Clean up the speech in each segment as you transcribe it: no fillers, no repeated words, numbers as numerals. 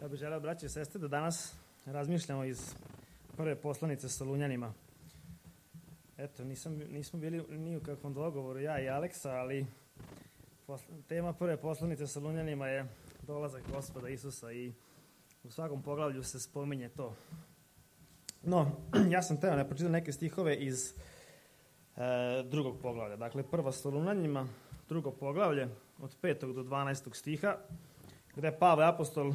Ja bih želeo, braće i sestre, da danas razmišljamo iz prve poslanice Solunjanima. Eto, nismo bili ni u kakvom dogovoru, ja i Aleksa, ali tema prve poslanice Solunjanima je dolazak Gospoda Isusa i u svakom poglavlju se spominje to. No, ja sam teo ne pročitao neke stihove iz drugog poglavlja. Dakle, prva Solunjanima, drugo poglavlje, od 5. do 12. stiha, gde Pavle apostol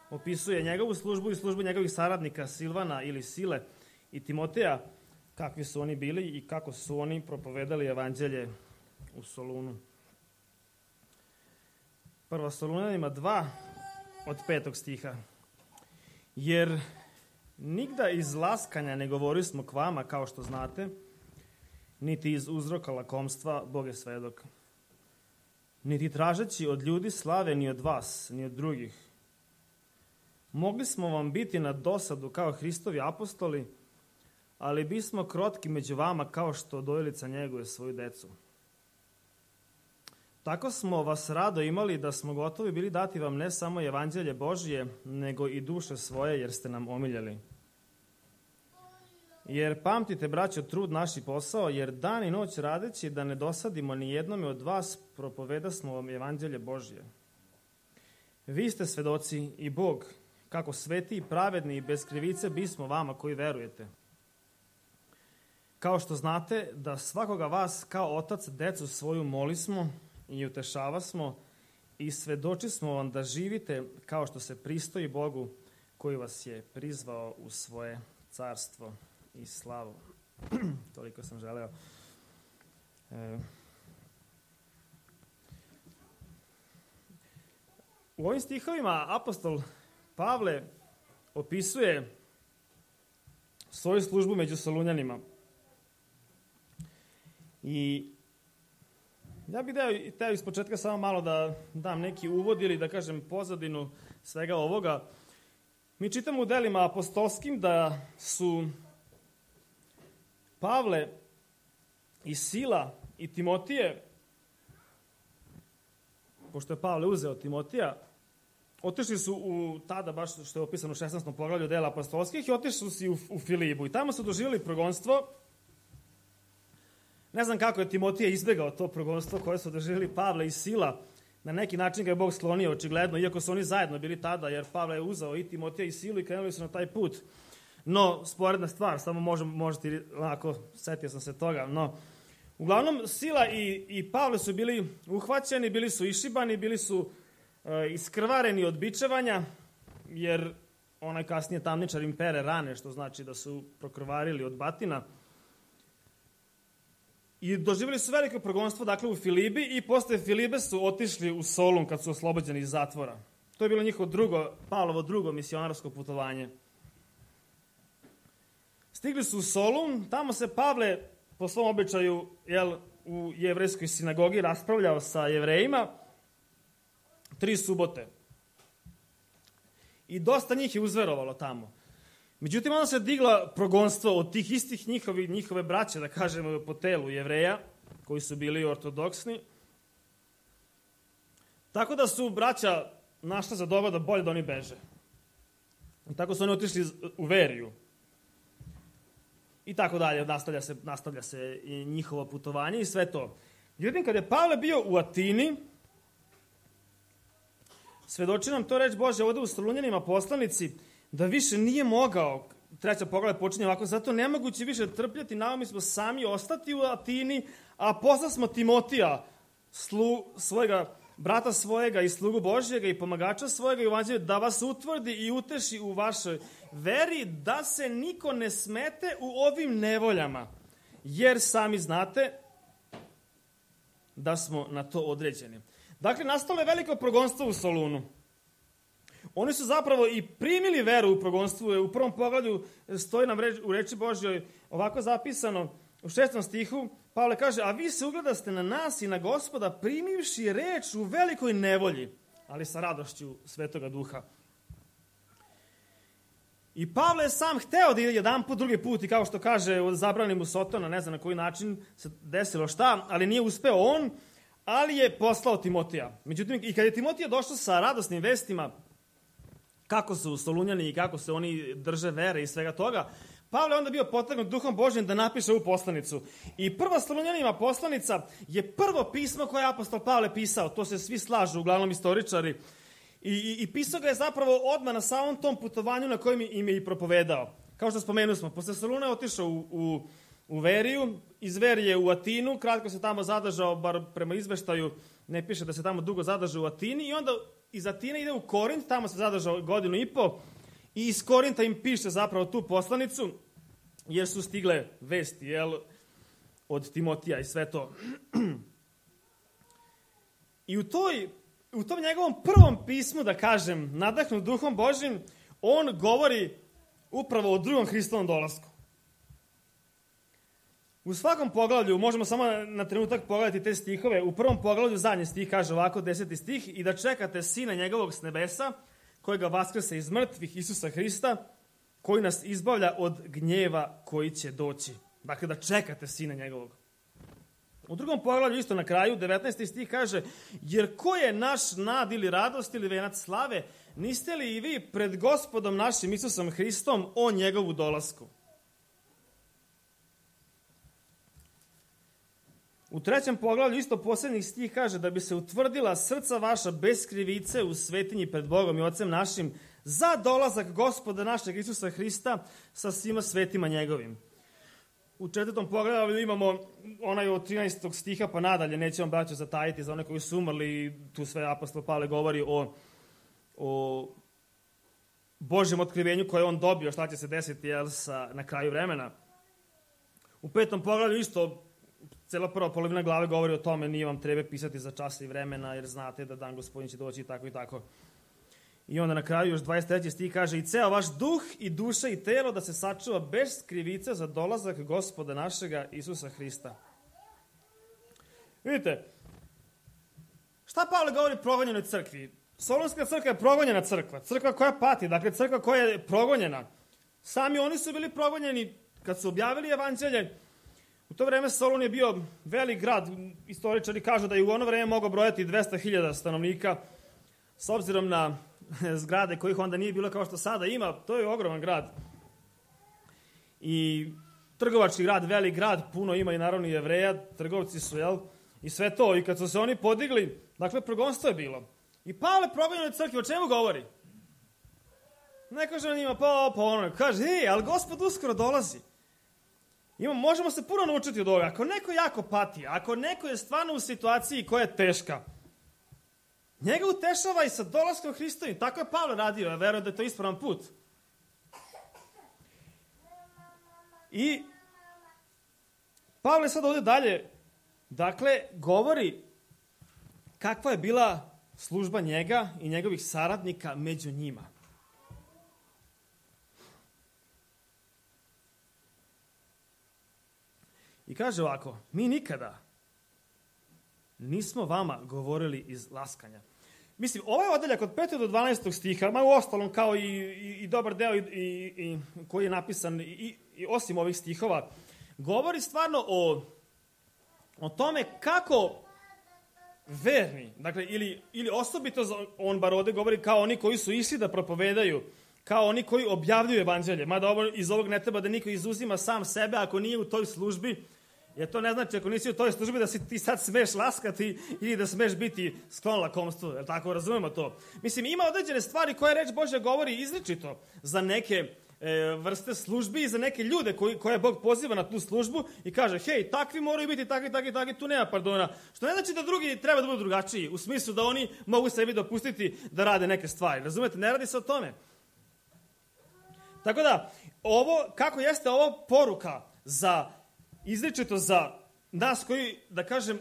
opisuje njegovu službu i službu njegovih saradnika Silvana ili Sile i Timoteja, kakvi su oni bili i kako su oni propovedali evanđelje u Solunu. Prva Solunjanima 2 od 5. stiha. Jer nigda iz laskanja ne govorismo k vama, kao što znate, niti iz uzroka lakomstva, Bog je svedok. Niti tražeći od ljudi slave ni od vas, ni od drugih. Mogli smo vam biti na dosadu kao Hristovi apostoli, ali bismo krotki među vama kao što dojilica njeguje svoju decu. Tako smo vas rado imali da smo gotovi bili dati vam ne samo evanđelje Božije, nego i duše svoje, jer ste nam omiljali. Jer pamtite, braćo, trud naš i posao, jer dan i noć radeći da ne dosadimo ni jednome od vas, propovedasmo vam evanđelje Božije. Vi ste svedoci i Bog, kako sveti i pravedni i bez krivice bismo vama koji verujete. Kao što znate da svakoga vas kao otac decu svoju molismo i utešavasmo i svedočismo vam da živite kao što se pristoji Bogu koji vas je prizvao u svoje carstvo i slavu. Toliko sam želeo. U ovim stihovima apostol Pavle opisuje svoju službu među Solunjanima. I ja bih teo iz početka samo malo da dam neki uvod ili da kažem pozadinu svega ovoga. Mi čitamo u delima apostolskim da su Pavle i Sila i Timotije, pošto je Pavle uzeo Timotija, otišli su tada, baš što je opisano u 16. poglavlju dela apostolskih, i otišli su u Filibu. I tamo su doživjeli progonstvo. Ne znam kako je Timotije izbegao to progonstvo koje su doživjeli Pavle i Sila. Na neki način ga je Bog sklonio, očigledno, iako su oni zajedno bili tada, jer Pavle je uzeo i Timotija i Silu i krenuli su na taj put. No, sporedna stvar, samo možete onako, setio sam se toga, no, uglavnom, Sila i Pavle su bili uhvaćeni, bili su išibani, bili su iskrvareni od bičevanja, jer onaj kasnije tamničar im pere rane, što znači da su prokrvarili od batina. I doživjeli su veliko progonstvo, dakle, u Filibi, i posle Filibe su otišli u Solun kad su oslobođeni iz zatvora. To je bilo njihovo Pavlovo drugo misionarsko putovanje. Stigli su u Solun, tamo se Pavle, po svom običaju, u jevrejskoj sinagogi raspravljao sa Jevrejima 3 subote. I dosta njih je uzverovalo tamo. Međutim, onda se digla progonstvo od tih istih njihove braće, da kažemo, po telu Jevreja, koji su bili ortodoksni. Tako da su braća našla za dobro da bolje da oni beže. I tako su oni otišli u Veriju. I tako dalje, nastavlja se i njihovo putovanje i sve to. Međutim, kad je Pavle bio u Atini, svedoči nam to reč Božja ovde u Solunjanima poslanici, da više nije mogao, 3. poglavlje počinje ovako, zato nemoguće više trpljati, naumi smo sami ostati u Atini, a poslasmo Timotija, svojega brata svojega i slugu Božjega i pomagača svojega i evanđelja, da vas utvrdi i uteši u vašoj veri, da se niko ne smete u ovim nevoljama, jer sami znate da smo na to određeni. Dakle, nastalo je veliko progonstvo u Solunu. Oni su zapravo i primili veru u progonstvu. U prvom poglavlju stoji nam u reči Božjoj ovako zapisano u 6. stihu. Pavle kaže, a vi se ugledaste na nas i na Gospoda primivši reč u velikoj nevolji, ali sa radošću Svetoga Duha. I Pavle je sam hteo da ide jedan put, drugi put, i kao što kaže, zabrani mu Sotona, ne znam na koji način se desilo šta, ali nije uspeo on, ali je poslao Timotija. Međutim, i kad je Timotija došao sa radosnim vestima, kako su Solunjani i kako se oni drže vere i svega toga, Pavle je onda bio potaknut Duhom Božjim da napiše ovu poslanicu. I prva Solunjanima poslanica je prvo pismo koje je apostol Pavle pisao. To se svi slažu, uglavnom istoričari. I pisao ga je zapravo odmah na samom tom putovanju na kojem im je i propovedao. Kao što spomenuli smo, posle Soluna je otišao u Veriju, iz Verije u Atinu, kratko se tamo zadržao, bar prema izveštaju ne piše da se tamo dugo zadržao u Atini, i onda iz Atine ide u Korint, tamo se zadržao 1.5 godina, i iz Korinta im piše zapravo tu poslanicu, jer su stigle vesti, od Timotija i sve to. I u tom njegovom prvom pismu, da kažem, nadahnut Duhom Božjim, on govori upravo o drugom Hristovom dolasku. U svakom poglavlju, možemo samo na trenutak pogledati te stihove, u prvom poglavlju zadnji stih kaže ovako, 10. stih, i da čekate Sina njegovog s nebesa, kojega vaskrse iz mrtvih, Isusa Hrista, koji nas izbavlja od gnjeva koji će doći. Dakle, da čekate Sina njegovog. U drugom poglavlju, isto na kraju, 19. stih kaže, jer ko je naš nad ili radost ili venac slave, niste li i vi pred Gospodom našim Isusom Hristom o njegovu dolasku? U trećem poglavlju, isto posljednji stih kaže, da bi se utvrdila srca vaša bez krivice u svetinji pred Bogom i Ocem našim, za dolazak Gospoda našeg Isusa Hrista sa svima svetima njegovim. U četvrtom poglavlju imamo onaj od 13. stiha pa nadalje, nećemo braću zatajiti za one koji su umrli, tu sve apostol Pavle govori o Božjem otkrivenju koje on dobio, šta će se desiti na kraju vremena. U 5. poglavlju isto cela prva polovina glave govori o tome, nije vam treba pisati za časa i vremena, jer znate da dan Gospodin će doći i tako i tako. I onda na kraju još 23. stih kaže, i ceo vaš duh i duša i telo da se sačuva bez krivice za dolazak Gospoda našega Isusa Hrista. Vidite, šta Pavle govori o progonjenoj crkvi? Solunska crkva je progonjena crkva, crkva koja pati, dakle crkva koja je progonjena. Sami oni su bili progonjeni kad su objavili evanđelje. U to vreme Solun je bio velik grad, istoričari kažu da je u ono vreme mogao brojati 200.000 stanovnika, s obzirom na zgrade kojih onda nije bilo kao što sada ima, to je ogroman grad. I trgovački grad, velik grad, puno ima i naravno i Jevreja, trgovci su, i sve to. I kad su se oni podigli, dakle, progonstvo je bilo. I Pavle progonjenoj crkvi, o čemu govori? Ne kaže on njima, kaže, ali Gospod uskoro dolazi. Možemo se puno naučiti od ovoga. Ako neko jako pati, ako neko je stvarno u situaciji koja je teška, njega utešava i sa dolaskom Hristovim. Tako je Pavle radio, ja verujem da je to ispravan put. I Pavle sad ovdje dalje, dakle, govori kakva je bila služba njega i njegovih saradnika među njima. I kaže ovako, mi nikada nismo vama govorili iz laskanja. Mislim, ovaj odeljak od 5. do 12. stiha, ma u ostalom kao i dobar deo i koji je napisan i osim ovih stihova, govori stvarno o tome kako verni, dakle, ili osobito on bar ovde govori kao oni koji su išli da propovedaju, kao oni koji objavljuju evanđelje. Mada iz ovog ne treba da niko izuzima sam sebe ako nije u toj službi, jer to ne znači ako nisi u toj službi da si ti sad smeš laskati ili da smeš biti sklon lakomstvu, jel tako, razumemo to? Mislim, ima određene stvari koje reč Božja govori izričito za neke vrste službi i za neke ljude koje Bog poziva na tu službu i kaže, hej, takvi moraju biti, takvi, tu nema pardona. Što ne znači da drugi treba da budu drugačiji, u smislu da oni mogu sebi dopustiti da rade neke stvari. Razumete, ne radi se o tome. Tako da, kako jeste ovo poruka izričito za nas koji, da kažem,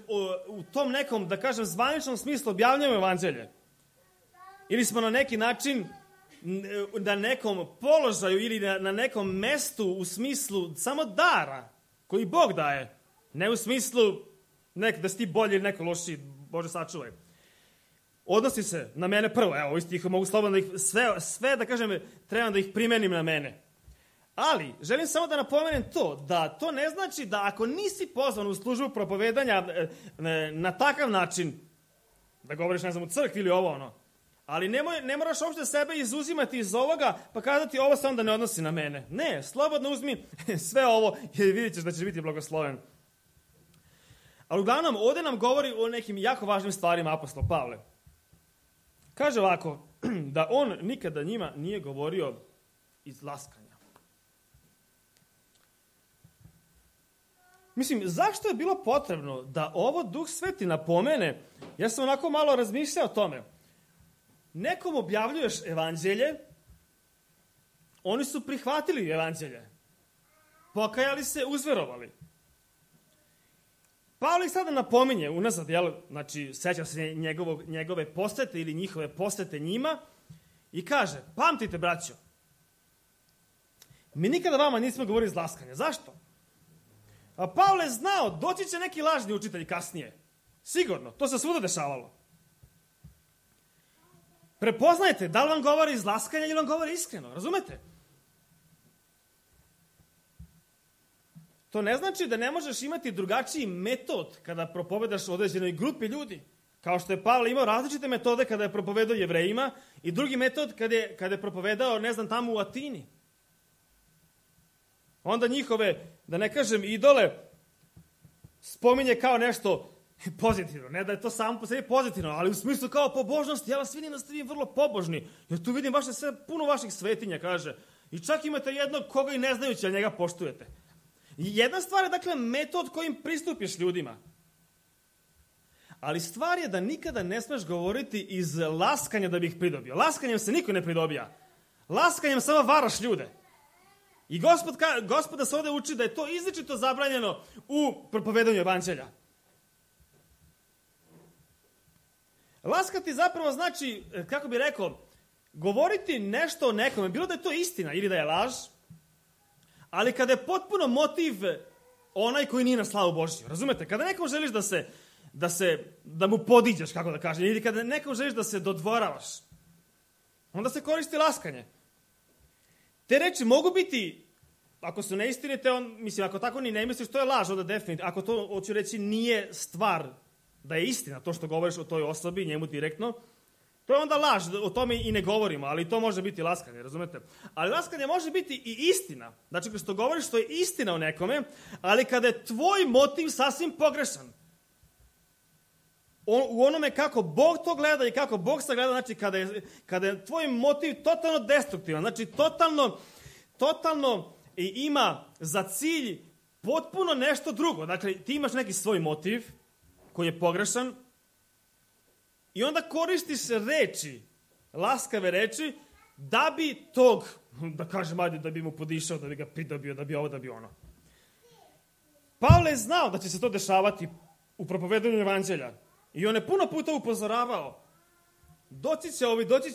u tom nekom, da kažem, zvaničnom smislu objavljamo evanđelje. Ili smo na neki način na nekom položaju ili na nekom mestu u smislu samo dara koji Bog daje. Ne u smislu da si ti bolji ili neko lošiji, Bože sačuvaj. Odnosi se na mene prvo. Evo, ovi stih mogu slobodno da ih sve, da kažem, trebam da ih primenim na mene. Ali, želim samo da napomenem da to ne znači da ako nisi pozvan u službu propovedanja na takav način, da govoriš, ne znam, u crkvi ili ovo, Ali ne moraš uopšte sebe izuzimati iz ovoga pa kazati ovo se onda ne odnosi na mene. Ne, slobodno uzmi sve ovo i vidjet ćeš da ćeš biti blagosloven. Ali uglavnom, ovdje nam govori o nekim jako važnim stvarima apostol Pavle. Kaže ovako, da on nikada njima nije govorio iz laskanja. Mislim, zašto je bilo potrebno da ovo Duh Sveti napomene? Ja sam onako malo razmišljao o tome. Nekom objavljuješ evanđelje, oni su prihvatili evanđelje, pokajali se, uzverovali. Pavle ih sada napominje unazad, znači seća se njegove posete ili njihove posete njima i kaže, pamtite braćo, mi nikada vama nismo govorili iz laskanja. Zašto? A Pavle je znao, doći će neki lažni učitelj kasnije. Sigurno, to se svuda dešavalo. Prepoznajte da li vam govori iz laskanja ili vam govori iskreno, razumete? To ne znači da ne možeš imati drugačiji metod kada propovedaš određenoj grupi ljudi. Kao što je Pavle imao različite metode kada je propovedao Jevrejima i drugi metod kada je propovedao, ne znam, tamo u Atini. Onda njihove, da ne kažem, idole spominje kao nešto pozitivno. Ne da je to samo po sebi pozitivno, ali u smislu kao pobožnosti. Ja vas vidim da ste vi vrlo pobožni. Jer tu vidim puno vaših svetinja, kaže. I čak imate jednog koga i ne znajući, ali njega poštujete. I jedna stvar je, dakle, metod kojim pristupiš ljudima. Ali stvar je da nikada ne smeš govoriti iz laskanja da bi ih pridobio. Laskanjem se niko ne pridobija. Laskanjem samo varaš ljude. I Gospoda se ovdje uči da je to izričito zabranjeno u propovedanju evanđelja. Laskati zapravo znači, kako bi rekao, govoriti nešto o nekome, bilo da je to istina ili da je laž, ali kada je potpuno motiv onaj koji nije na slavu Božju. Razumete? Kada nekom želiš da mu podiđeš, kako da kažem, ili kada nekom želiš da se dodvoravaš, onda se koristi laskanje. Te reči mogu biti, ako su neistinite, ako tako ni ne misliš, to je laž, onda definitivno. Ako to, hoću reći, nije stvar da je istina, to što govoriš o toj osobi, njemu direktno, to je onda laž, o tome i ne govorimo, ali to može biti laskanje, razumete? Ali laskanje može biti i istina. Znači, što govoriš, to je istina o nekome, ali kada je tvoj motiv sasvim pogrešan, u onome kako Bog to gleda i kako Bog sagleda, znači kada je tvoj motiv totalno destruktivan, znači totalno ima za cilj potpuno nešto drugo. Dakle, ti imaš neki svoj motiv koji je pogrešan i onda koristiš reči, laskave reči, da bi tog, da kažem, ajde, da bi mu podišao, da bi ga pridobio, da bi ovo, da bi ono. Pavle je znao da će se to dešavati u propovedanju evanđelja. I on je puno puta upozoravao. Doći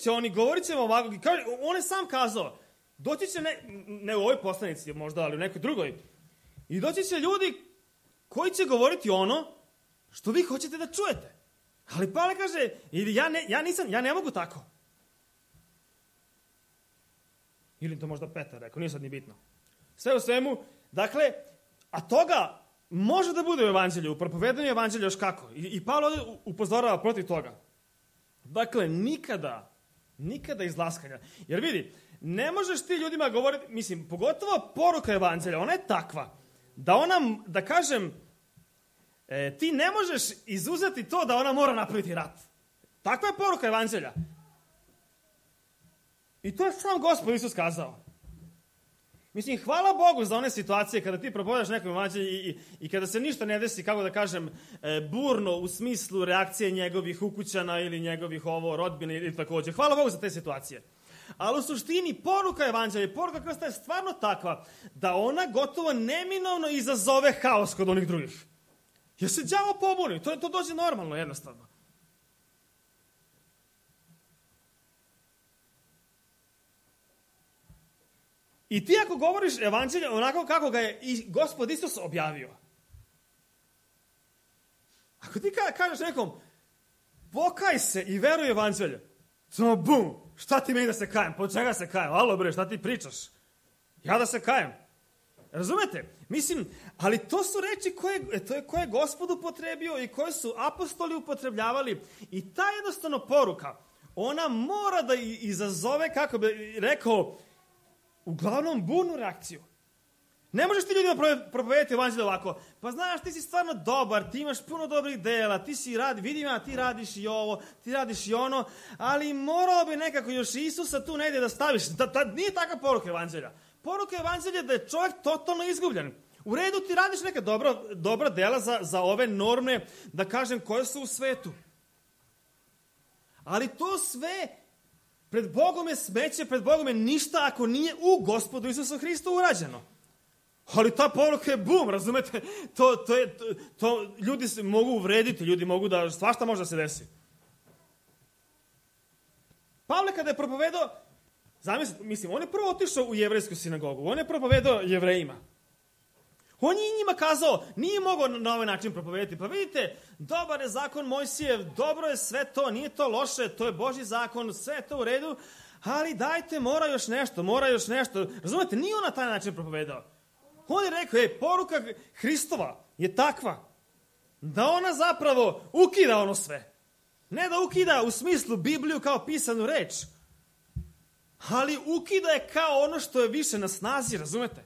će oni, govorit će ovako. On je sam kazao, doći će, ne u ovoj poslanici možda, ali u nekoj drugoj. I doći će ljudi koji će govoriti ono što vi hoćete da čujete. Ali Pavle kaže, ja ne mogu tako. Ili to možda Petar rekao, nije sad ni bitno. Sve u svemu, dakle, a toga može da bude u evanđelju, u propovedanju evanđelja još kako. I Pavle ovdje upozorava protiv toga. Dakle, nikada iz laskanja. Jer vidi, ne možeš ti ljudima govoriti, mislim, pogotovo poruka evanđelja, ona je takva, da kažem, ti ne možeš izuzeti to da ona mora napraviti rat. Takva je poruka evanđelja. I to je sam Gospod Isus kazao. Mislim, hvala Bogu za one situacije kada ti propovedaš nekom evanđelju i kada se ništa ne desi, kako da kažem, burno u smislu reakcije njegovih ukućana ili njegovih rodbine ili također. Hvala Bogu za te situacije. Ali u suštini poruka evanđelja, poruka Krista je stvarno takva da ona gotovo neminovno izazove haos kod onih drugih. Jer se đavo pobuni, to dođe normalno, jednostavno. I ti ako govoriš evanđelje onako kako ga je i Gospod Isus objavio. Ako ti kažeš nekom, pokaj se i veruj evanđelje. Samo bum, šta ti meni da se kajem? Po čega se kajem? Alo bre, šta ti pričaš? Ja da se kajem. Razumete? Mislim, ali to su reči koje je Gospod upotrebio i koje su apostoli upotrebljavali. I ta jednostavno poruka, ona mora da izazove, kako bi rekao, uglavnom burnu reakciju. Ne možeš ti ljudima propovedati evanđelje ovako. Pa znaš, ti si stvarno dobar, ti imaš puno dobrih dela, vidim ja, ti radiš i ovo, ti radiš i ono, ali morao bi nekako još Isusa tu negdje da staviš. Nije takva poruka evanđelja. Poruka evanđelja je da je čovjek totalno izgubljen. U redu ti radiš neka dobra dela za ove norme, da kažem, koje su u svetu. Ali to sve pred Bogom je smeće, pred Bogom je ništa ako nije u Gospodu Isusu Hristu urađeno. Ali ta poruka je bum, razumete? To ljudi se mogu uvrediti, ljudi mogu da, svašta može da se desi. Pavle kada je propovedao, mislim, on je prvo otišao u jevrejsku sinagogu, on je propovedao Jevrejima. On je njima kazao, nije mogao na ovaj način propovedati. Pa vidite, dobar je zakon Mojsijev, dobro je sve to, nije to loše, to je Božji zakon, sve je to u redu, ali dajte, mora još nešto. Razumete, nije on na taj način propovedao. On je rekao, poruka Hristova je takva da ona zapravo ukida ono sve. Ne da ukida u smislu Bibliju kao pisanu reč, ali ukida je kao ono što je više na snazi, razumete?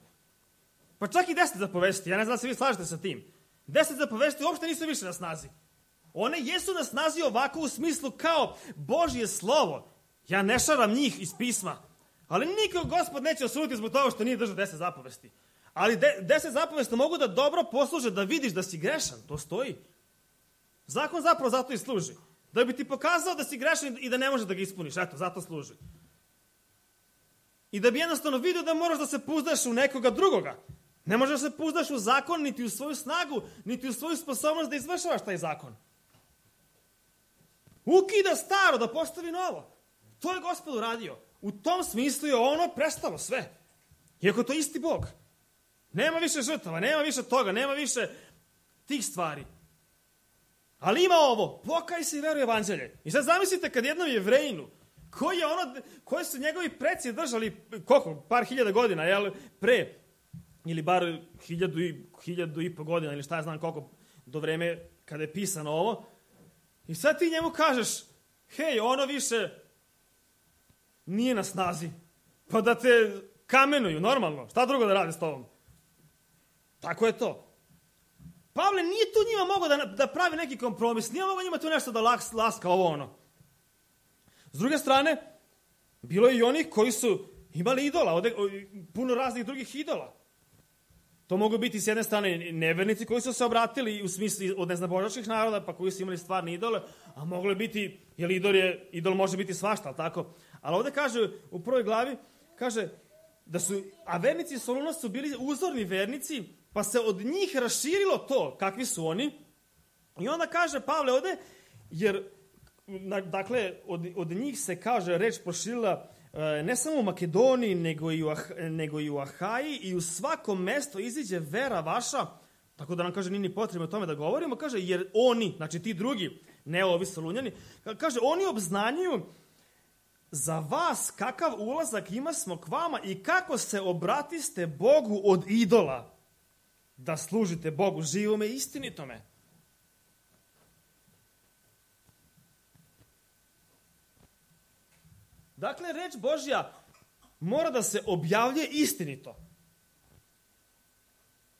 Pa čak i 10 zapovesti, ja ne znam da se vi slažete sa tim. 10 zapovesti uopšte nisu više na snazi. One jesu na snazi ovako u smislu kao Božje slovo. Ja ne šaram njih iz pisma, ali nikog Gospod neće osuditi zbog toga što nije držao 10 zapovesti. Ali 10 zapovesti mogu da dobro posluže da vidiš da si grešan. To stoji. Zakon zapravo zato i služi. Da bi ti pokazao da si grešan i da ne možeš da ga ispuniš. Eto, zato služi. I da bi jednostavno vidio da moraš da se puzdaš u nekoga drugoga. Ne možeš da se puzdaš u zakon, niti u svoju snagu, niti u svoju sposobnost da izvršavaš taj zakon. Ukida staro da postavi novo. To je Gospod uradio. U tom smislu je ono prestalo sve. Iako to isti Bog. Nema više žrtava, nema više toga, nema više tih stvari. Ali ima ovo, pokaj se i veruj evanđelje. I sad zamislite kad jednom Jevrejinu, koji su njegovi preci držali, par hiljada godina, jel, pre, ili bar 1000 godina, ili šta ja znam koliko, do vreme kada je pisano ovo, i sad ti njemu kažeš, hej, ono više nije na snazi, pa da te kamenuju, normalno, šta drugo da rade s tobom? Tako je to. Pavle nije tu njima mogao da pravi neki kompromis, nije mogao njima tu nešto da laska ovo ono. S druge strane, bilo je i onih koji su imali idola, puno raznih drugih idola. To mogu biti s jedne strane nevernici koji su se obratili u smislu od neznabožačkih naroda, pa koji su imali stvarne idole, a moglo je biti, jer idol može biti svašta, ali tako? Ali ovdje kaže, u prvoj glavi, kaže a vernici Soluna su bili uzorni vernici, pa se od njih raširilo to kakvi su oni. I onda kaže Pavle ovdje, jer dakle od njih se, kaže, reč proširila ne samo u Makedoniji, nego i u Ahaji, i u svakom mestu iziđe vera vaša, tako da nam, kaže, nije ni potrebno o tome da govorimo, kaže, jer oni, znači ti drugi, ne ovi Solunjani, kaže, oni obznanjuju za vas kakav ulazak ima smo k vama i kako se obratiste Bogu od idola, da služite Bogu živome i istinitome. Dakle, reč Božja mora da se objavljuje istinito.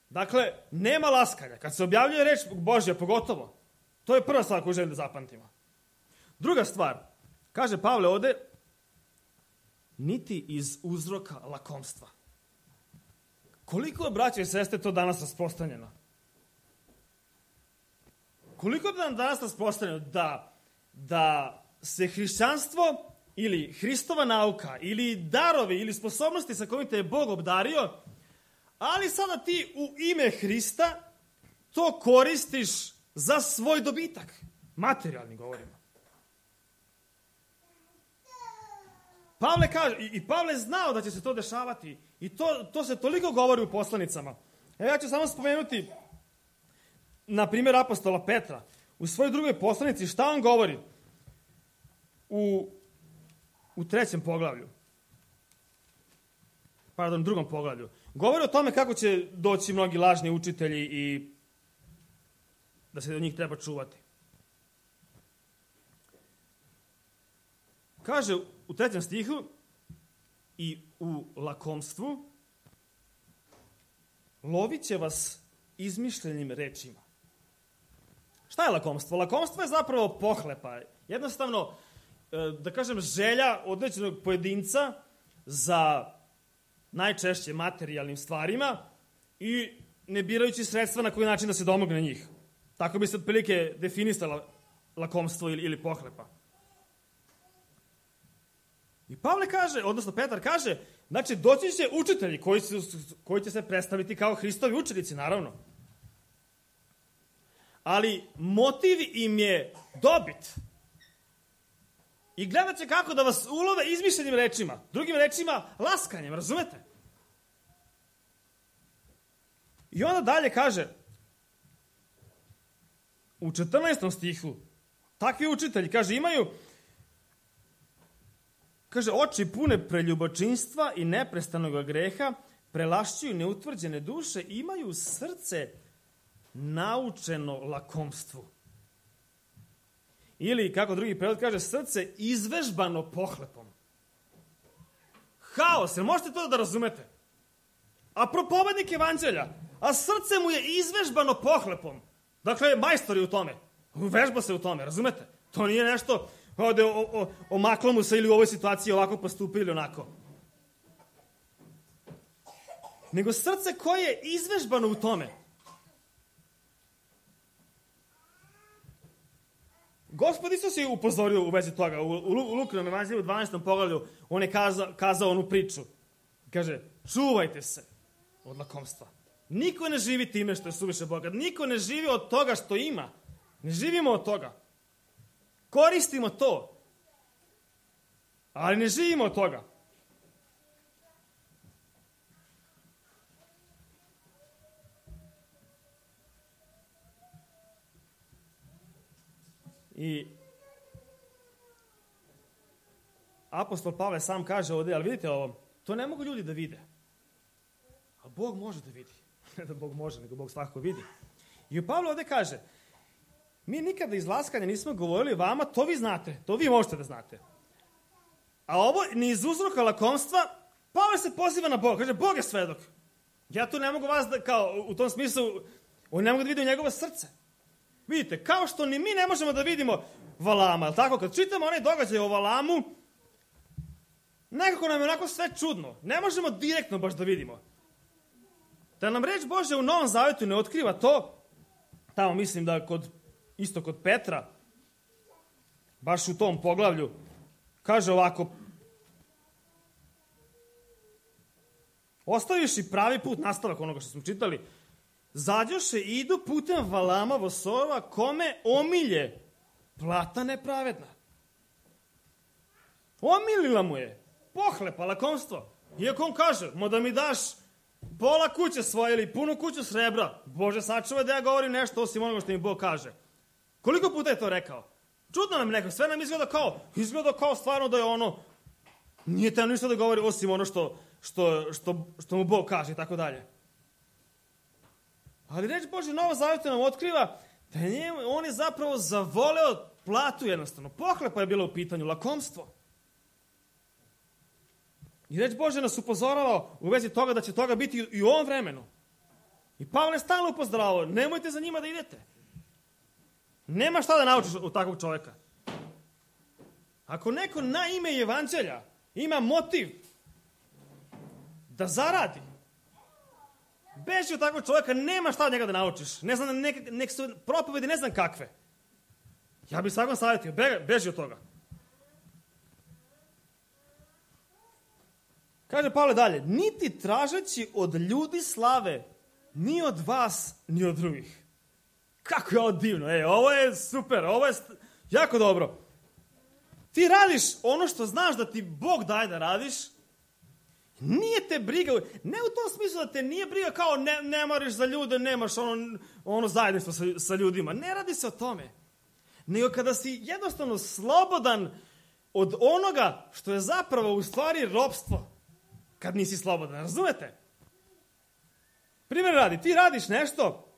Dakle, nema laskanja. Kad se objavljuje reč Božja, pogotovo, to je prva stvar koju želim da zapamtimo. Druga stvar, kaže Pavle ovde, niti iz uzroka lakomstva. Koliko je, braće i sestre, to danas rasprostranjeno? Koliko je danas rasprostranjeno da se hrišćanstvo ili Hristova nauka, ili darovi, ili sposobnosti sa kojim te je Bog obdario, ali sada ti u ime Hrista to koristiš za svoj dobitak. Materijalni govorimo. Pavle kaže, i Pavle znao da će se to dešavati, i to se toliko govori u poslanicama. Evo ja ću samo spomenuti, na primjer, apostola Petra. U svojoj drugoj poslanici šta on govori? U drugom poglavlju. Govori o tome kako će doći mnogi lažni učitelji i da se od njih treba čuvati. kaže u 3. stihu, i u lakomstvu lovit će vas izmišljenim rečima. Šta je lakomstvo? Lakomstvo je zapravo pohlepa. Jednostavno, da kažem, želja određenog pojedinca za najčešće materijalnim stvarima i ne birajući sredstva na koji način da se domogne njih. Tako bi se otprilike definisala lakomstvo ili pohlepa. I Pavle kaže, odnosno Petar kaže, znači doći će učitelji koji će se predstaviti kao Hristovi učenici, naravno. Ali motiv im je dobit. I gledat će kako da vas ulove izmišljenim rečima. Drugim rečima, laskanjem, razumete? I onda dalje kaže, u 14. stihu, takvi učitelji, kaže, imaju, kaže, oči pune preljubočinstva i neprestanog greha, prelašćuju neutvrđene duše, imaju srce naučeno lakomstvu. Ili, kako drugi prevod kaže, srce izvežbano pohlepom. Haos, jel možete to da razumete? A propovednik evanđelja, a srce mu je izvežbano pohlepom. Dakle, majstor je u tome. Vežba se u tome, razumete? To nije nešto ovde omaklo mu se ili u ovoj situaciji ovako postupili ili onako. Nego srce koje je izvežbano u tome. Gospod Isus je upozorio u vezi toga. U Lukinom evanđelju u 12. poglavlju on je kazao onu priču. Kaže, čuvajte se od lakomstva. Niko ne živi time što je suviše bogat. Niko ne živi od toga što ima. Ne živimo od toga. Koristimo to. Ali ne živimo od toga. I apostol Pavle sam kaže ovdje, ali vidite ovo, to ne mogu ljudi da vide. A Bog može da vidi. Ne da Bog može, nego Bog svakako vidi. I Pavle ovdje kaže, mi nikada iz laskanja nismo govorili vama, to vi znate, to vi možete da znate. A ovo, ni iz uzroka lakomstva, Pavle se poziva na Boga, kaže, Bog je svedok. Ja tu ne mogu vas da, kao, u tom smislu, on ne mogu da vidi u njegovo srce. Vidite, kao što ni mi ne možemo da vidimo Valama, ali tako, kad čitamo onaj događaj o Valamu, nekako nam je onako sve čudno. Ne možemo direktno baš da vidimo. Da nam reč Božja u Novom Zavetu ne otkriva to, tamo mislim da isto kod Petra, baš u tom poglavlju, kaže ovako, ostavivši pravi put, nastavak onoga što smo čitali, zađoše i idu putem Valama Vosorova, kome omilje plata nepravedna. Omilila mu je pohlepa, lakomstvo. Iako on kaže, da mi daš pola kuće svoje ili punu kuću srebra, Bože sačuvaj da ja govorim nešto osim onoga što mi Bog kaže. Koliko puta je to rekao? Čudno nam neko, sve nam izgleda kao stvarno da je ono, nije tamo ništa da govori osim ono što mu Bog kaže i tako dalje. Ali reč Božja Novo Zaveta nam otkriva da on je zapravo zavoleo platu jednostavno. Pohlepa je bila u pitanju, lakomstvo. I reč Božja nas upozorava u vezi toga da će toga biti i u ovom vremenu. I Pavle je stalno upozoravao, nemojte za njima da idete. Nema šta da naučiš od takvog čovjeka. Ako neko na ime evanđelja ima motiv da zaradi, beži od takvog čovjeka, nema šta od njega da naučiš. Ne znam, nek su propovedi ne znam kakve. Ja bih svakom savjetio, beži od toga. Kaže Pavle dalje, niti tražeći od ljudi slave, ni od vas, ni od drugih. Kako je ovo divno, ovo je super, ovo je jako dobro. Ti radiš ono što znaš da ti Bog daje da radiš, nije te briga, ne u tom smislu da te nije briga kao ne maraš za ljude, nemaš ono zajedništvo sa ljudima. Ne radi se o tome. Nego kada si jednostavno slobodan od onoga što je zapravo u stvari ropstvo. Kad nisi slobodan, razumete? Primjer radi, ti radiš nešto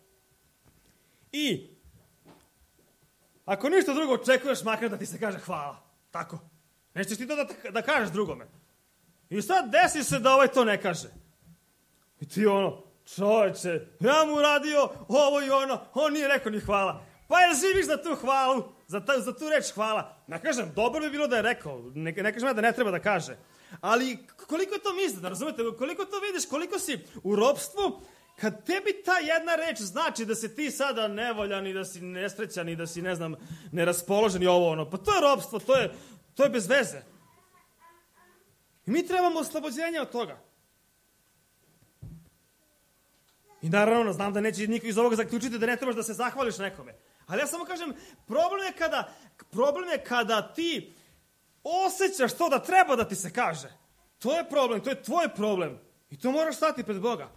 i ako ništa drugo očekuješ makar da ti se kaže hvala. Tako. Nećeš ti to da kažeš drugome. I sad desi se da ovaj to ne kaže. I ti čoveče, ja mu uradio ovo i ono, on nije rekao ni hvala. Pa jel živiš za tu hvalu, za tu reč hvala? Ne kažem, dobro bi bilo da je rekao, ne kažem ja da ne treba da kaže. Ali koliko to misli, da razumete, koliko to vidiš, koliko si u ropstvu, kad tebi ta jedna reč znači da si ti sada nevoljan i da si nesrećan i da si, ne znam, neraspoložen i ovo ono, pa to je ropstvo, to je bez veze. I mi trebamo oslobođenje od toga. I naravno, znam da neće niko iz ovoga zaključiti da ne trebaš da se zahvališ nekome. Ali ja samo kažem, problem je kada ti osjećaš to da treba da ti se kaže. To je problem, to je tvoj problem. I to moraš stati pred Boga.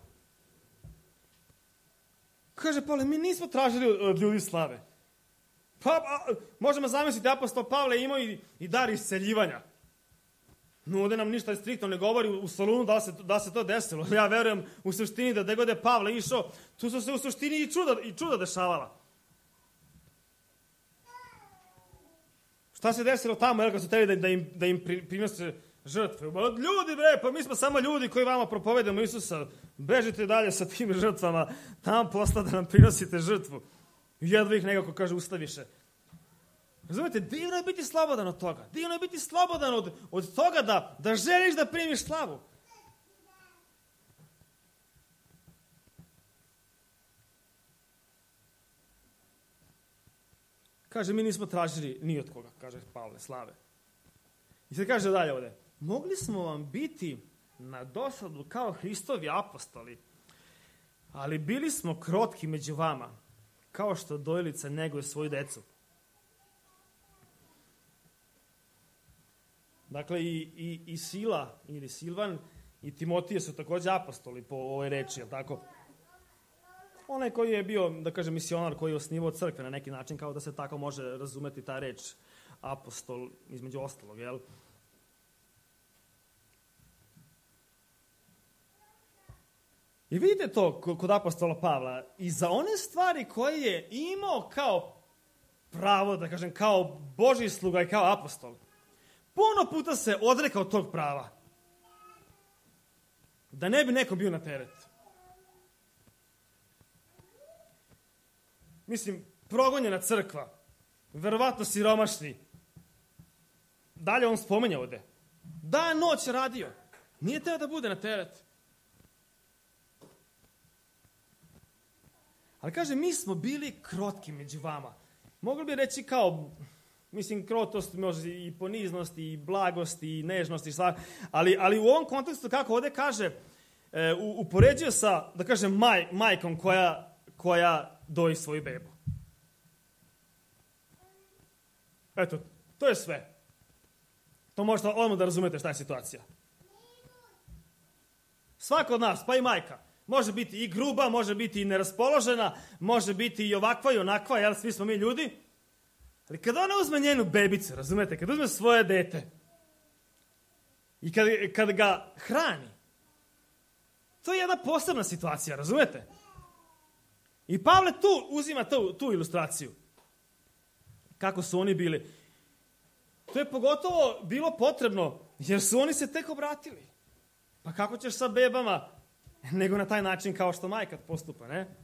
Kaže Pavle, mi nismo tražili od ljudi slave. Pa, možemo zamisliti, apostol Pavle imao i dar isceljivanja. No, ovdje nam ništa striktno ne govori u Solunu da se to desilo. Ja verujem u suštini da gde god je Pavle išao, tu su se u suštini i čuda dešavala. Šta se desilo tamo, kad su teli da im prinose žrtve? Ljudi bre, pa mi smo samo ljudi koji vama propovedamo Isusa. Bežite dalje sa tim žrtvama. Tamo posla da nam prinosite žrtvu. Jedva ih nekako, kaže, ustaviše. Razumete, divno je biti slobodan od toga. Divno je biti slobodan od toga da želiš da primiš slavu. Kaže, mi nismo tražili ni od koga, kaže Pavle, slave. I sad kaže dalje ovde, mogli smo vam biti na dosadu kao Hristovi apostoli, ali bili smo krotki među vama, kao što dojilica neguje svoju decu. Dakle, i Sila, ili Silvan, i Timotije su takođe apostoli po ovoj reči, jel tako? Onaj koji je bio, da kažem, misionar, koji je osnivao crkve na neki način, kao da se tako može razumeti ta reč apostol, između ostalog, jel? I vidite to kod apostola Pavla, i za one stvari koje je imao kao pravo, da kažem, kao Božji sluga i kao apostol, puno puta se odrekao tog prava. Da ne bi nekom bio na teret. Mislim, progonjena crkva, verovatno siromašni. Dalje on spomenja ovde. Dan noć radio. Nije teo da bude na teret. Ali kaže, mi smo bili krotki među vama. Mogli bi reći kao, mislim, krotost, može i poniznost, i blagost, i nežnost, i stvar. Ali u ovom kontekstu, kako ovde kaže, upoređuje sa, da kažem, majkom koja doji svoju bebu. Eto, to je sve. To možete odmah da razumete šta je situacija. Svako od nas, pa i majka, može biti i gruba, može biti i neraspoložena, može biti i ovakva i onakva, jer svi smo mi ljudi. Ali kada ona uzme njenu bebicu, razumete, kada uzme svoje dete i kad ga hrani, to je jedna posebna situacija, razumete? I Pavle tu uzima tu ilustraciju. Kako su oni bili. To je pogotovo bilo potrebno, jer su oni se tek obratili. Pa kako ćeš sa bebama, nego na taj način kao što majka postupa, ne?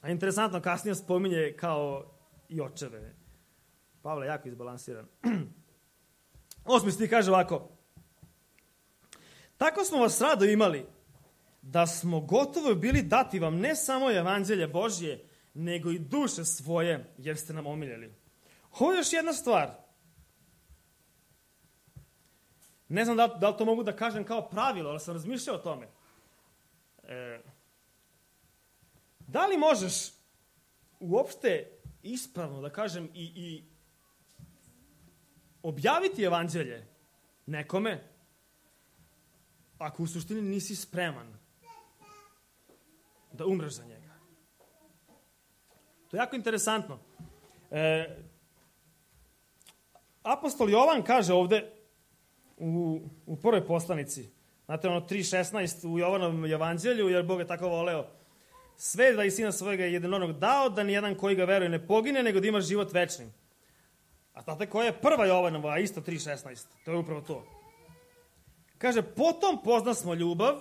A interesantno, kasnije spominje kao i očeve. Pavle je jako izbalansiran. 8. stih kaže ovako. Tako smo vas rado imali, da smo gotovo bili dati vam ne samo evanđelje Božje, nego i duše svoje, jer ste nam omiljeli. Ovo je još jedna stvar. Ne znam da li to mogu da kažem kao pravilo, ali sam razmišljao o tome. Da li možeš uopšte ispravno, da kažem, i objaviti evanđelje nekome, ako u suštini nisi spreman da umreš za njega? To je jako interesantno. Apostol Jovan kaže ovde u prvoj poslanici, znate ono 3.16 u Jovanovom evanđelju, jer Bog je tako voleo sve da i sina svojega jedinorodnog dao, da nijedan koji ga veruje ne pogine, nego da ima život večni. A znate koja je prva Jovanova, isto 3.16? To je upravo to. Kaže, potom poznasmo ljubav,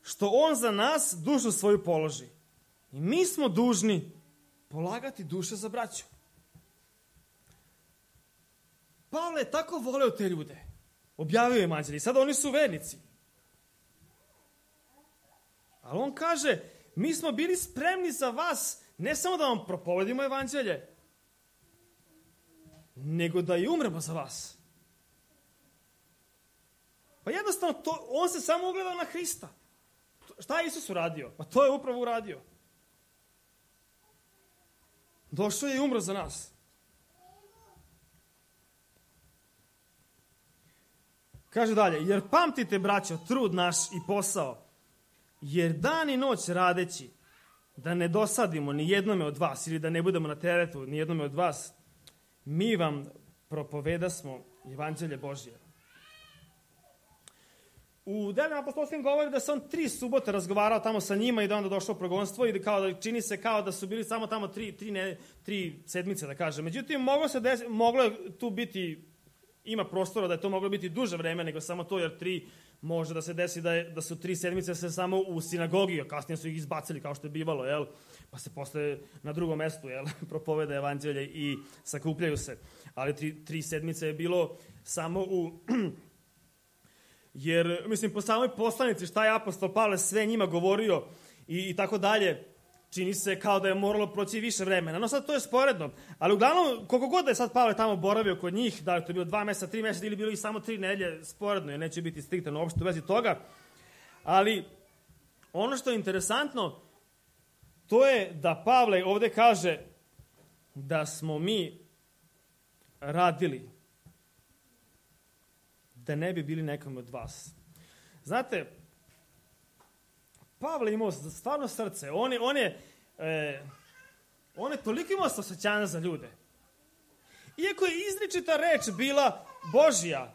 što on za nas dušu svoju položi. I mi smo dužni polagati duše za braću. Pavle je tako voleo te ljude. Objavio je evanđelje. Sada oni su vernici. Ali on kaže, mi smo bili spremni za vas, ne samo da vam propovedimo evanđelje, nego da i umremo za vas. Pa jednostavno, on se samo ugledao na Hrista. Šta je Isus uradio? Pa to je upravo uradio. Došao je i umro za nas. Kaže dalje, jer pamtite, braćo, trud naš i posao, jer dan i noć radeći, da ne dosadimo ni jednome od vas, ili da ne budemo na teretu ni jednome od vas, mi vam propovedasmo evanđelje Božje. U Delima apostolskim govori da se on 3 subote razgovarao tamo sa njima i da onda došao u progonstvo i da čini se kao da su bili samo tamo 3 sedmice, da kažem. Međutim, moglo je tu biti, ima prostora da je to moglo biti duže vreme nego samo to, jer 3 može da se desi da su 3 sedmice se samo u sinagogi, a kasnije su ih izbacili kao što je bivalo, jel? Pa se posle na drugom mestu, jel, propoveda evanđelje i sakupljaju se. Ali 3 sedmice je bilo samo u... Jer, mislim, po samoj poslanici šta je apostol Pavle sve njima govorio i tako dalje, čini se kao da je moralo proći više vremena. No sad to je sporedno. Ali uglavnom, koliko god da je sad Pavle tamo boravio kod njih, da je to bilo 2 meseca, 3 meseca ili bilo i samo 3 nedelje, sporedno, jer neće biti striktan uopšte u vezi toga. Ali ono što je interesantno, to je da Pavle ovde kaže da smo mi radili da ne bi bili nekom od vas. Znate, Pavle imao stvarno srce. On je toliko imao osjećanja za ljude. Iako je izričita reč bila Božja,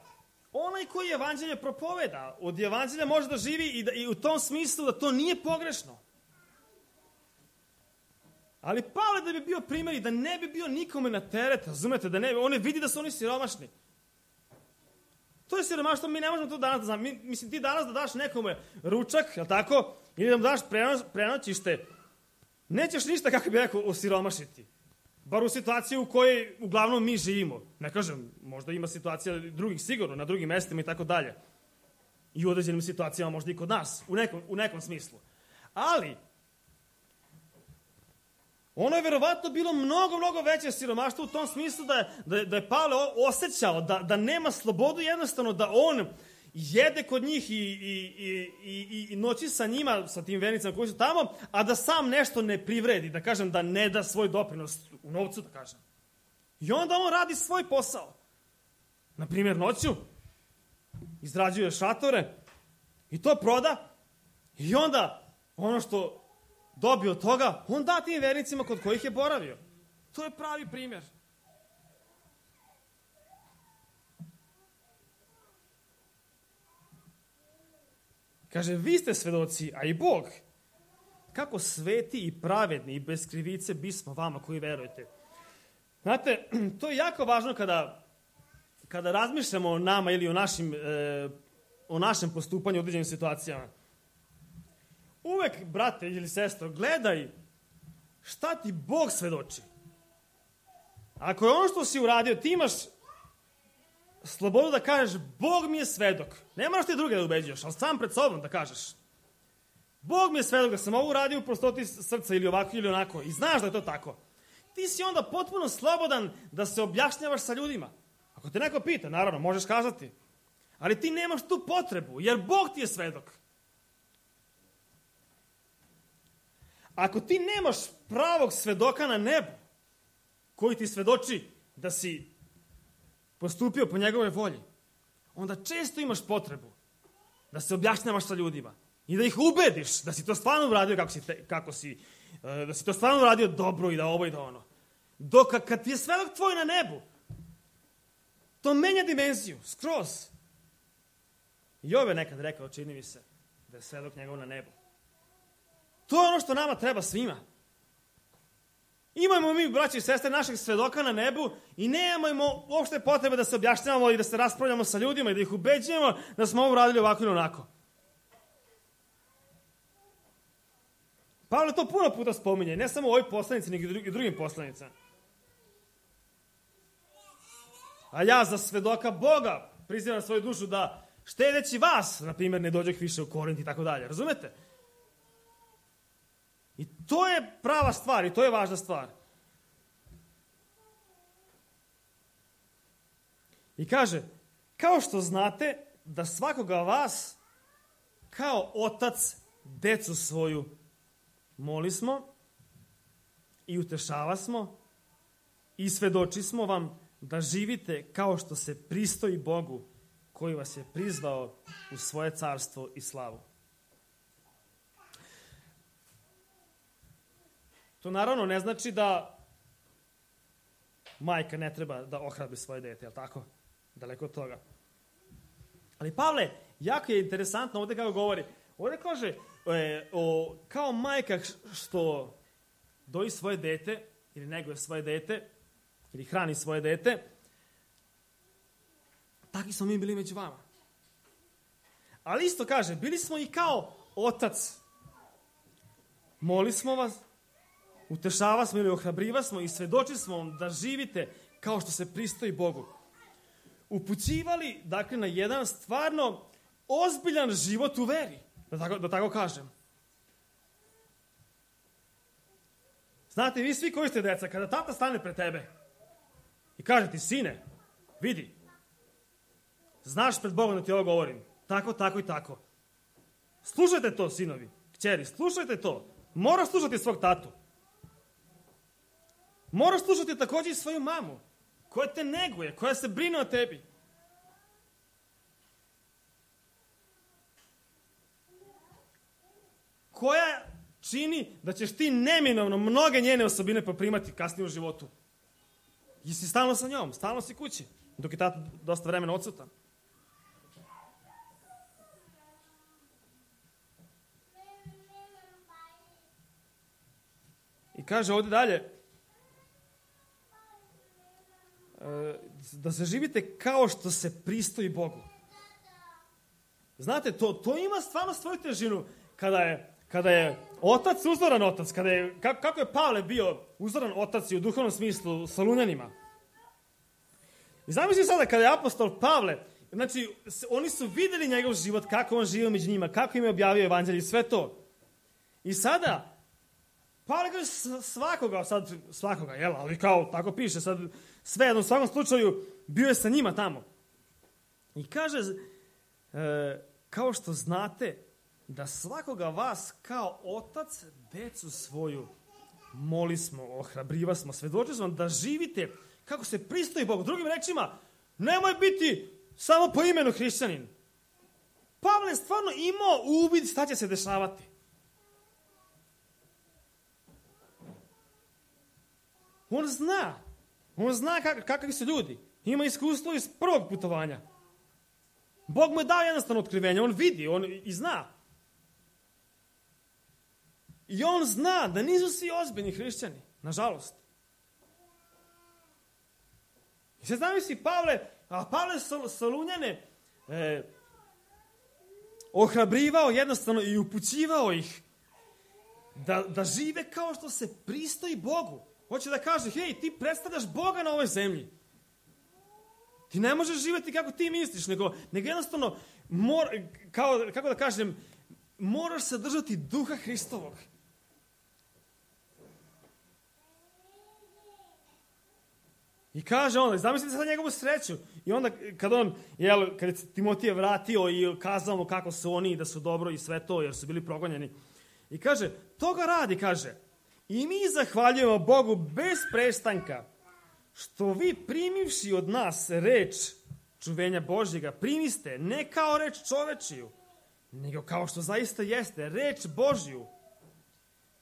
onaj koji evanđelje propoveda, od evanđelja može da živi i u tom smislu da to nije pogrešno. Ali Pavle da bi bio primjer i da ne bi bio nikome na teret, razumete, on ne vidi da su oni siromašni. To je siromaštvo, mi ne možemo to danas da znam. Mislim, ti danas da daš nekome ručak, jel tako, ili da mu daš prenoćište, nećeš ništa, kako bi rekao, osiromašiti. Bar u situaciji u kojoj uglavnom mi živimo. Ne kažem, možda ima situacija drugih sigurno, na drugim mestima i tako dalje. I u određenim situacijama možda i kod nas, u nekom smislu. Ali, ono je verovatno bilo mnogo veće siromaštvo u tom smislu da je Pavle osjećao da nema slobodu, jednostavno da on jede kod njih i noći sa njima, sa tim vernicama koji su tamo, a da sam nešto ne privredi, da kažem, da ne da svoj doprinos u novcu, da kažem. I onda on radi svoj posao. Naprimjer, noću izrađuje šatore i to proda i onda ono što dobio od toga, on da tim vernicima kod kojih je boravio. To je pravi primjer. Kaže, vi ste svedoci, a i Bog, kako sveti i pravedni i bez krivice bismo vama koji verujete. Znate, to je jako važno kada razmišljamo o nama ili o našem postupanju u određenim situacijama. Uvek, brate ili sestro, gledaj šta ti Bog svedoči. Ako je ono što si uradio, ti imaš slobodu da kažeš Bog mi je svedok. Ne moraš ti druge da ubeđuješ, ali sam pred sobom da kažeš. Bog mi je svedok da sam ovo uradio u prostoti srca ili ovako ili onako. I znaš da je to tako. Ti si onda potpuno slobodan da se objašnjavaš sa ljudima. Ako te neko pita, naravno, možeš kazati. Ali ti nemaš tu potrebu, jer Bog ti je svedok. Ako ti nemaš pravog svedoka na nebu, koji ti svedoči da si postupio po njegove volji, onda često imaš potrebu da se objašnjavaš sa ljudima i da ih ubediš da si to stvarno uradio da si to stvarno uradio dobro i da ovo i da ono. Dok kad ti je svedok tvoj na nebu, to menja dimenziju, skroz. Jov je nekad rekao, čini mi se, da je svedok njegov na nebu. To je ono što nama treba svima. Imamo mi, braći i sestre, naših svedoka na nebu i nemamo uopšte potrebe da se objašnjavamo i da se raspravljamo sa ljudima i da ih ubeđujemo da smo ovo radili ovako ili onako. Pavle to puno puta spominje, ne samo u ovoj poslanici, nego i drugim poslanicama. A ja za svedoka Boga prizivam svoju dušu da štedeći vas, na primjer, ne dođeh više u Korint i tako dalje. Razumete? I to je prava stvar i to je važna stvar. I kaže, kao što znate da svakoga vas kao otac decu svoju molismo i utešavasmo i svedočismo vam da živite kao što se pristoji Bogu koji vas je prizvao u svoje carstvo i slavu. To naravno ne znači da majka ne treba da ohrabri svoje dete, je li tako? Daleko od toga. Ali Pavle, jako je interesantno ovdje kako govori. Ovdje kaže, kao majka što doji svoje dete, ili neguje svoje dete, ili hrani svoje dete, takvi smo mi bili među vama. Ali isto kaže, bili smo i kao otac. Moli smo vas, utešava smo ili ohrabriva smo i svedoči smo vam da živite kao što se pristoji Bogu. Upućivali, dakle, na jedan stvarno ozbiljan život u veri, da tako kažem. Znate, vi svi koji ste deca, kada tata stane pred tebe i kaže ti, sine, vidi, znaš pred Bogom da ti ovo govorim, tako, tako i tako. Slušajte to, sinovi, kćeri, slušajte to. Moraš slušati svog tatu. Moraš slušati također i svoju mamu, koja te neguje, koja se brine o tebi. Koja čini da ćeš ti neminovno mnoge njene osobine poprimati kasnije u životu. Jesi stalno sa njom, stalno si kući, dok je tata dosta vremena odsutan. I kaže ovdje dalje, da se živite kao što se pristoji Bogu. Znate, to ima stvarno svoju težinu kada je otac uzoran otac, kako je Pavle bio uzoran otac i u duhovnom smislu Solunjanima. I zamisli sada kada je apostol Pavle, znači oni su vidjeli njegov život, kako on živio među njima, kako im je objavio evanđelje i sve to. I sada Pavle kaže svakoga, jel, ali kao tako piše, sad svejedno u svakom slučaju bio je sa njima tamo. I kaže, kao što znate, da svakoga vas kao otac decu svoju molismo, ohrabriva smo, svedoči smo da živite kako se pristoji Bogu. Drugim rečima, nemoj biti samo po imenu hrišćanin. Pavle je stvarno imao uvid šta će se dešavati. On zna kakvi su ljudi. Ima iskustvo iz prvog putovanja. Bog mu je dao jednostavno otkrivenje, on vidi, on i zna. I on zna da nisu svi ozbiljni hrišćani, nažalost. I sad zamisli Pavle Solunjane ohrabrivao jednostavno i upućivao ih da žive kao što se pristoji Bogu. Hoće da kaže, hej, ti predstavljaš Boga na ovoj zemlji. Ti ne možeš živjeti kako ti misliš, nego jednostavno, kako da kažem, moraš se držati duha Hristovog. I kaže on, zamislite sad njegovu sreću. I onda kad je Timotije vratio i kazao mu kako su oni, da su dobro i sve to, jer su bili progonjeni. I kaže, toga radi, kaže, i mi zahvaljujemo Bogu bez prestanka, što vi primivši od nas reč čuvenja Božjega, primiste ne kao reč čovečiju, nego kao što zaista jeste, reč Božju,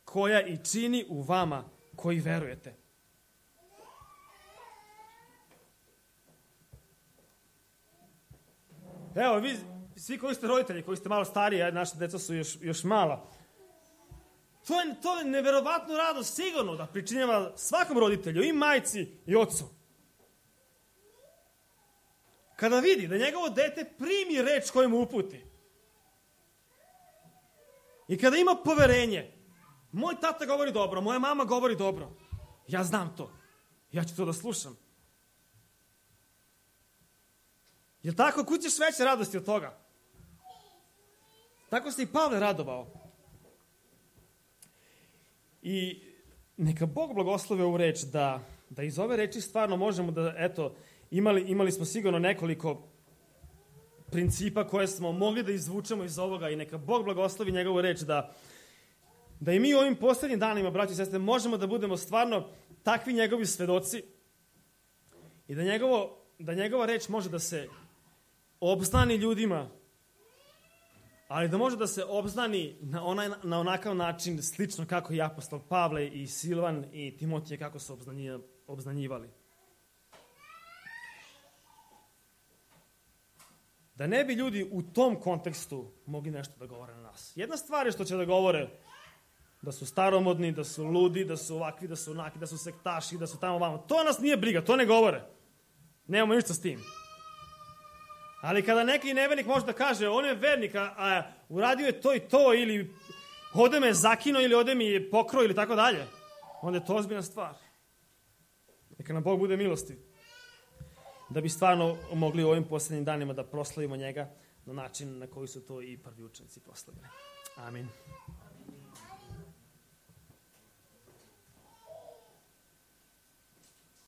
koja i čini u vama koji verujete. Evo, vi svi koji ste roditelji, koji ste malo stariji, naša deca su još mala. To je neverovatno radost sigurno da pričinjava svakom roditelju, i majci i ocu. Kada vidi da njegovo dete primi reč koju mu uputi. I kada ima poverenje, moj tata govori dobro, moja mama govori dobro, ja znam to, ja ću to da slušam. Jel tako? Kud ćeš veće radosti od toga? Tako se i Pavle radovao. I neka Bog blagoslovi ovu reč, da iz ove reči stvarno možemo da, eto, imali smo sigurno nekoliko principa koje smo mogli da izvučemo iz ovoga i neka Bog blagoslovi njegovu reč da i mi u ovim poslednjim danima, braći i sestre, možemo da budemo stvarno takvi njegovi svedoci i da njegova reč može da se obznani ljudima, ali da može da se obznani na onakav način slično kako i apostol Pavle i Silvan i Timotije kako su obznanjivali. Da ne bi ljudi u tom kontekstu mogli nešto da govore na nas. Jedna stvar je što će da govore da su staromodni, da su ludi, da su ovakvi, da su onaki, da su sektaši, da su tamo vamo. To nas nije briga, to ne govore. Nemamo ništa s tim. Ali kada neki nevernik može da kaže, on je vernik, a uradio je to i to, ili ovde me je zakinuo, ili ovde mi je pokrao, ili tako dalje, onda je to ozbiljna stvar. Neka nam Bog bude milosti. Da bi stvarno mogli u ovim poslednjim danima da proslavimo njega na način na koji su to i prvi učenici proslavili. Amin.